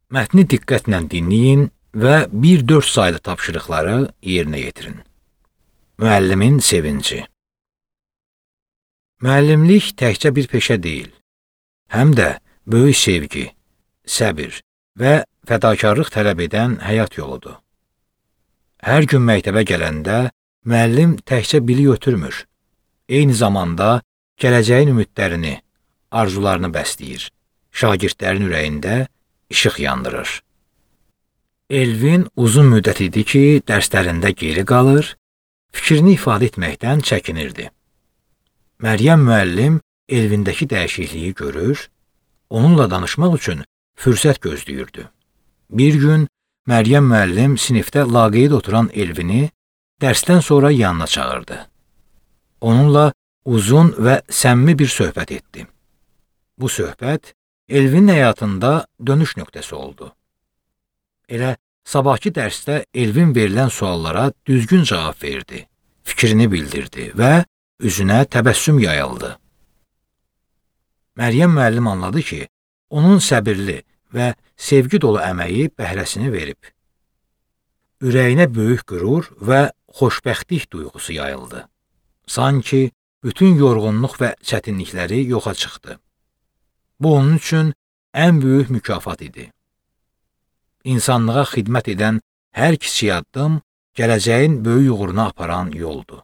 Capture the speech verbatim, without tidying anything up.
Mətni diqqətlə dinləyin və bir dörd saylı tapşırıqları yerinə yetirin. Müəllimin sevinci. Müəllimlik təkcə bir peşə deyil, həm də böyük sevgi, səbir və fədakarlıq tələb edən həyat yoludur. Hər gün məktəbə gələndə müəllim təkcə bilik ötürmür, eyni zamanda gələcəyin ümidlərini, arzularını bəsləyir, şagirdlərin ürəyində işıq yandırır. Elvin uzun müddət idi ki, dərslərində geri qalır, fikrini ifadə etməkdən çəkinirdi. Məryəm müəllim Elvindəki dəyişikliyi görür, onunla danışmaq üçün fürsət gözləyirdi. Bir gün Məryəm müəllim sinifdə laqeyd oturan Elvini dərsdən sonra yanına çağırdı. Onunla uzun və səmimi bir söhbət etdi. Bu söhbət Elvinin həyatında dönüş nöqtəsi oldu. Elə sabahki dərsdə Elvin verilən suallara düzgün cavab verdi, fikrini bildirdi və üzünə təbəssüm yayıldı. Məryəm müəllim anladı ki, onun səbirli və sevgi dolu əməyi bəhrəsini verib. Ürəyinə böyük qürur və xoşbəxtlik duyğusu yayıldı. Sanki bütün yorğunluq və çətinlikləri yoxa çıxdı. Bu onun üçün ən böyük mükafat idi. İnsanlığa xidmət edən hər kiçik addım gələcəyin böyük uğuruna aparan yoldur.